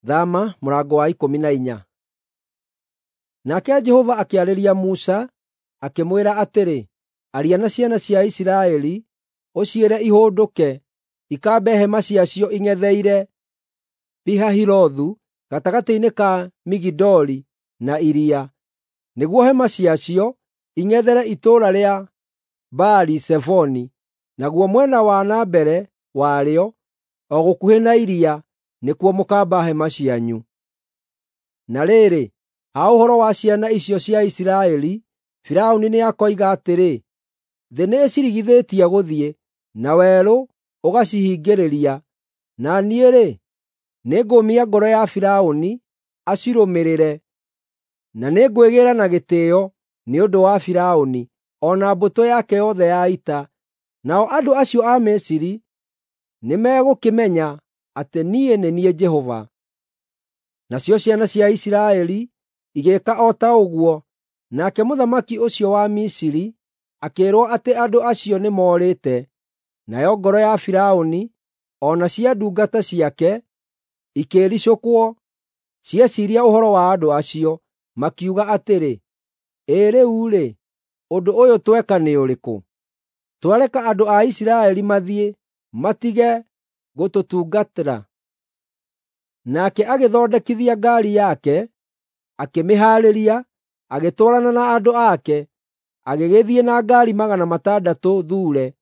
Thama mũrango wa 14. Nake Jehova akĩarĩria Musa, akĩmwĩra atĩrĩ, “Aria na ciana cia Isiraeli, ũciĩre ihũndũke, ikambe hema ciacio ing'etheire Pi-Hahirothu, gatagatĩ-inĩ ka Migidoli na iria, nĩguo hema ciacio ing'ethere itũũra rĩa Baali-Zefoni, naguo mwena wa na mbere warĩo, o gũkuhĩ na iria, nĩkuo mũkaamba hema cianyu. Na rĩrĩ, ha ũhoro wa ciana icio cia Isiraeli, Firaũni nĩakoiga atĩrĩ, ‘Thĩ nĩĩcirigithĩtie gũthiĩ, na werũ ũgacihingĩrĩria.’ Na niĩ-rĩ, nĩngũũmia ngoro ya Firaũni acirũmĩrĩre, na nĩngwĩgĩĩra na gĩtĩĩo nĩ ũndũ wa Firaũni o na mbũtũ yake yothe ya ita. Nao andũ acio a Misiri nĩmegũkĩmenya atĩ niĩ nĩ niĩ Jehova.” Nacio ciana cia Isiraeli igĩĩka o ta ũguo, nake mũthamaki ũcio wa Misiri akĩĩrwo atĩ andũ acio nĩmoorĩte. Nayo ngoro ya Firaũni o na cia ndungata ciake ikĩĩricũkwo cieciiria ũhoro wa andũ acio, makiuga atĩrĩ, “Ĩ rĩu-rĩ, ũndũ ũyũ tweka nĩ ũrĩkũ? Twareka andũ a Isiraeli mathiĩ, matige gũtũtungatĩra.” Nake agĩthondekithia ngaari yake, akĩmĩhaarĩria, agĩtwarana na andũ ake, agĩgĩthiĩ na ngaari 600 thuure,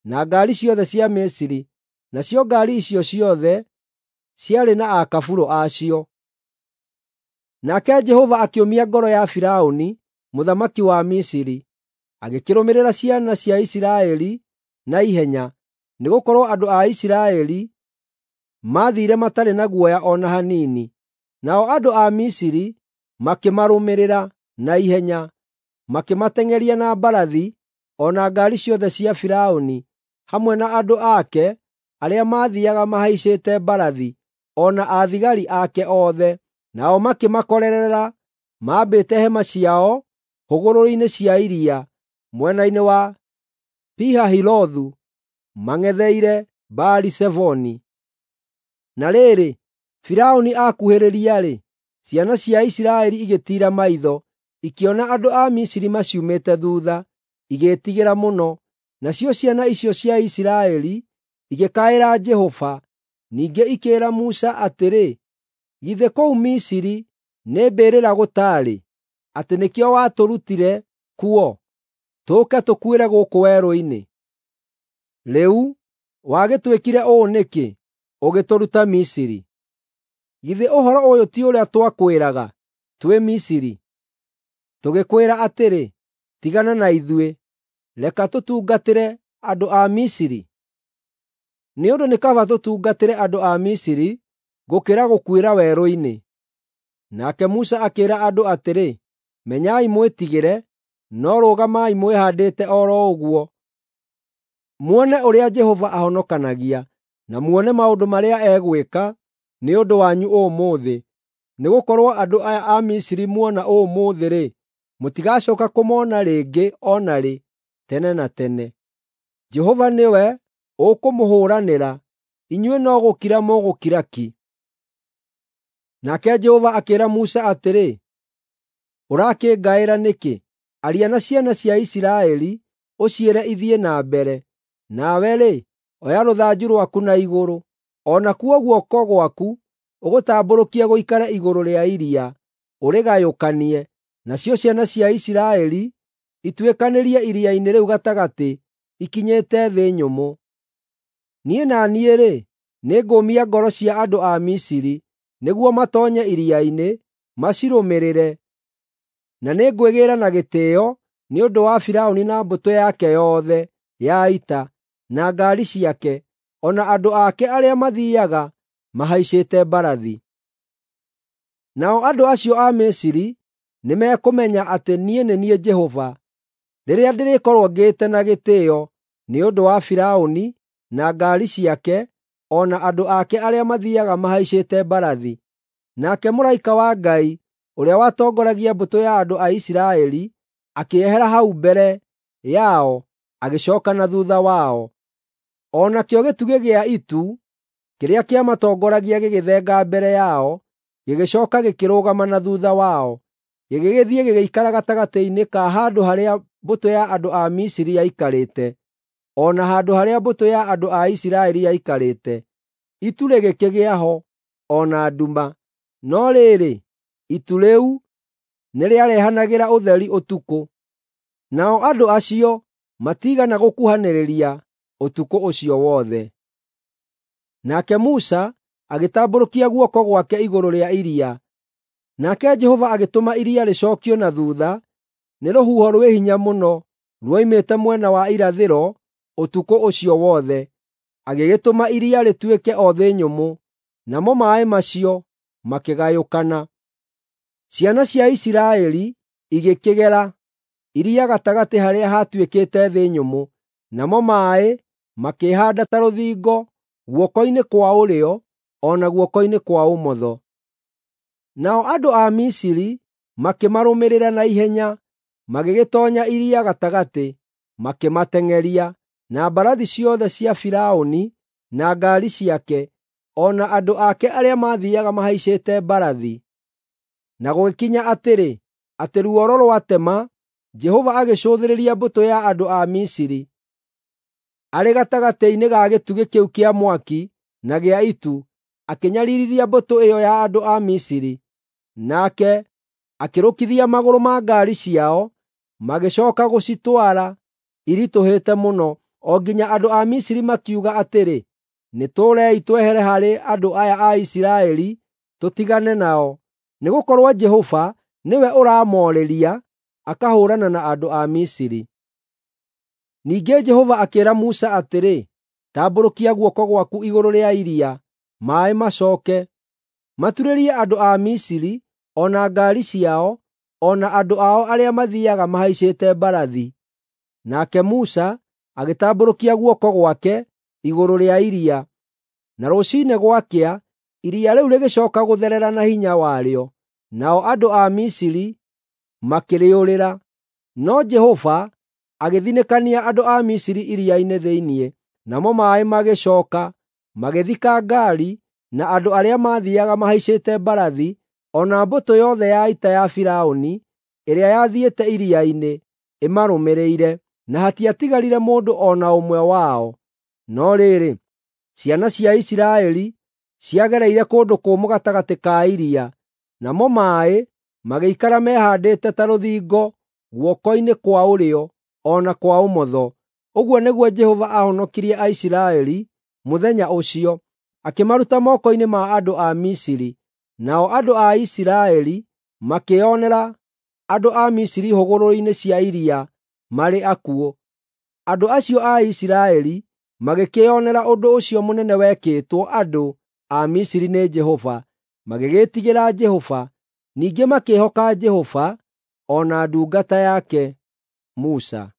na ngaari ciothe cia Misiri, nacio ngaari icio ciothe ciarĩ na akaburũ a cio. Nake Jehova akĩũmia ngoro ya Firaũni mũthamaki wa Misiri, agĩkĩrũmĩrĩra ciana cia Isiraeli na ihenya, nĩgũkorwo andũ a Isiraeli maathiire matarĩ na guoya o na hanini. Nao andũ a Misiri makĩmarũmĩrĩra na ihenya, makĩmateng'eria na mbarathi o na ngaari ciothe cia Firaũni, hamwe na andũ ake arĩa maathiiaga mahaicĩte mbarathi, o na athigari ake othe. Nao makĩmakorerera maambĩte hema ciao hũgũrũrũ-inĩ cia iria, mwena-inĩ wa Pi-Hahirothu, mang'etheire Baali-Zefoni. Na rĩrĩ, Firaũni akuhĩrĩria-rĩ, ciana cia Isiraeli igĩtiira maitho, ikĩona andũ a Misiri maciumĩte thuutha, igĩĩtigĩra mũno. Nacio ciana icio cia Isiraeli igĩkaĩra Jehova. Ningĩ ikĩĩra Musa atĩrĩ, “Githĩ kũu Misiri nĩ mbĩrĩra gũtaarĩ, atĩ nĩkĩo watũrutire kuo, tũũke tũkuĩre gũkũ werũ-inĩ? Rĩu wagĩtwĩkire ũũ nĩkĩ, ũgĩtũruta Misiri? Githĩ ũhoro ũyũ ti ũrĩa twakwĩraga twĩ Misiri, tũgĩkwĩra atĩrĩ, ‘Tigana na ithuĩ, reka tũtungatĩre andũ a Misiri’? Nĩ ũndũ nĩ kaba tũtungatĩre andũ a Misiri gũkĩra gũkuĩra werũ-inĩ.” Nake Musa akĩĩra andũ atĩrĩ, “Menyai mwĩtigĩre, no rũgamai mwĩhaandĩte o ro ũguo, muone ũrĩa Jehova ahonokanagia, na muone maũndũ marĩa egwĩka nĩ ũndũ wanyu ũmũthĩ. Nĩgũkorwo andũ aya a Misiri muona ũmũthĩ-rĩ, mũtigacooka kũmona rĩngĩ o na rĩ, tene na tene. Jehova nĩwe ũkũmũhũũranĩra, inyuĩ no gũkira mũgũkira ki.” Nake Jehova akĩĩra Musa atĩrĩ, “Ũrakĩngaĩra nĩkĩ? Aria na ciana cia Isiraeli, ũciĩre ithiĩ na mbere. Nawe-rĩ, oya rũthanju rwaku na igũrũ, o nakuo guoko gwaku ũgũtambũrũkie gũikare igũrũ rĩa iria, ũrĩgayũkanie, nacio ciana cia Isiraeli ituĩkanĩrie iria-inĩ rĩu gatagatĩ ikinyĩte thĩ nyũmũ. Niĩ na niĩ-rĩ, nĩngũũmia ngoro cia andũ a Misiri, nĩguo matoonye iria-inĩ, macirũmĩrĩre. Na nĩngwĩgĩĩra na gĩtĩĩo nĩ ũndũ wa Firaũni na mbũtũ yake yothe ya ita, na ngaari ciake, o na andũ ake arĩa mathiiaga mahaicĩte mbarathi. Nao andũ acio a Misiri nĩmekũmenya atĩ niĩ nĩ niĩ Jehova, rĩrĩa ndĩrĩkorwo ngĩĩte na gĩtĩĩo nĩ ũndũ wa Firaũni na ngaari ciake, o na andũ ake arĩa mathiiaga mahaicĩte mbarathi.” Nake mũraika wa Ngai ũrĩa watongoragia mbũtũ ya andũ a Isiraeli akĩehera hau mbere yao, agĩcooka na thuutha wao. O nakĩo gĩtugĩ gĩa itu kĩrĩa kĩamatongoragia gĩgĩthenga mbere yao. gĩgĩcooka gĩkĩrũgama na thuutha wao, gĩgĩgĩthiĩ gĩgĩikara gatagatĩ-inĩ ka handũ harĩa mbũtũ ya andũ a Misiri yaikarĩte, o na handũ harĩa mbũtũ ya andũ a Isiraeli yaikarĩte. Itu rĩgĩkĩgĩa ho, o na nduma, no rĩrĩ, itu rĩu nĩrĩarehanagĩra ũtheri ũtukũ. Nao andũ acio matiigana gũkuhanĩrĩria ũtukũ ũcio wothe. Nake Musa agĩtambũrũkia guoko gwake igũrũ rĩa iria, nake Jehova agĩtũma iria rĩcookio na thuutha nĩ rũhuho rwĩ hinya mũno ruoimĩte mwena wa irathĩro ũtukũ ũcio wothe, agĩgĩtũma iria rĩtuĩke o thĩ nyũmũ, namo maaĩ macio makĩgayũkana. Ciana cia Isiraeli igĩkĩgera iria gatagatĩ harĩa haatuĩkĩte thĩ nyũmũ, namo maaĩ makĩĩhaanda ta rũthingo guoko-inĩ kwa ũrĩo o na guoko-inĩ kwa ũmotho. Nao andũ a Misiri makĩmarũmĩrĩra na ihenya, magĩgĩtoonya iria gatagatĩ, makĩmateng'eria, na mbarathi ciothe cia Firaũni na ngaari ciake, o na andũ ake arĩa maathiiaga mahaicĩte mbarathi. Na gũgĩkinya atĩrĩ, atĩ ruoro rwatema, Jehova agĩcũthĩrĩria mbũtũ ya andũ a Misiri. Arĩ gatagatĩ-inĩ ga gĩtugĩ kĩu kĩa mwaki na gĩa itu, akĩnyariirithia mbũtũ ĩyo ya andũ a Misiri. Nake akĩrũkithia magũrũ ma ngaari ciao, magĩcooka gũcitwara iritũhĩte mũno, o nginya andũ a Misiri makiuga atĩrĩ, “Nĩtũũrei twehere harĩ andũ aya a Isiraeli tũtigane nao, nĩgũkorwo Jehova nĩwe ũramoorĩria akahũũrana na andũ a Misiri.” Ningĩ Jehova akĩĩra Musa atĩrĩ, “Tambũrũkia guoko gwaku igũrũ rĩa iria, maaĩ macooke, maturĩrie andũ a Misiri, o na ngaari ciao, o na andũ ao arĩa mathiiaga mahaicĩte mbarathi.” Nake Musa agĩtambũrũkia guoko gwake igũrũ rĩa iria, na rũciinĩ gwakĩa, iria rĩu rĩgĩcooka gũtherera na hinya warĩo, nao andũ a Misiri makĩrĩũrĩra. No Jehova agĩthinĩkania andũ a Misiri iria-inĩ thĩinĩ, namo maaĩ magĩcooka magĩthika ngaari na andũ arĩa maathiiaga mahaicĩte mbarathi, o na mbũtũ yothe ya ita ya Firaũni ĩrĩa yathiĩte iria-inĩ ĩmarũmĩrĩire, na hatiatigarire mũndũ o na ũmwe wao. No rĩrĩ, ciana cia Isiraeli ciagereire kũndũ kũmũ gatagatĩ ka iria, namo maaĩ magĩikara mehaandĩte ta rũthingo guoko-inĩ kwa ũrĩo o na kwa ũmotho. Ũguo nĩguo Jehova aahonokirie Aisiraeli mũthenya ũcio, akĩmaruta moko-inĩ ma andũ a Misiri. Nao andũ a Isiraeli makĩĩonera andũ a Misiri hũgũrũrũ-inĩ cia iria marĩ akuũ. Andũ acio a Isiraeli magĩkĩĩonera ũndũ ũcio mũnene wekĩtwo andũ a Misiri nĩ Jehova, magĩgĩĩtigĩra Jehova, ningĩ makĩĩhoka Jehova o na ndungata yake Musa.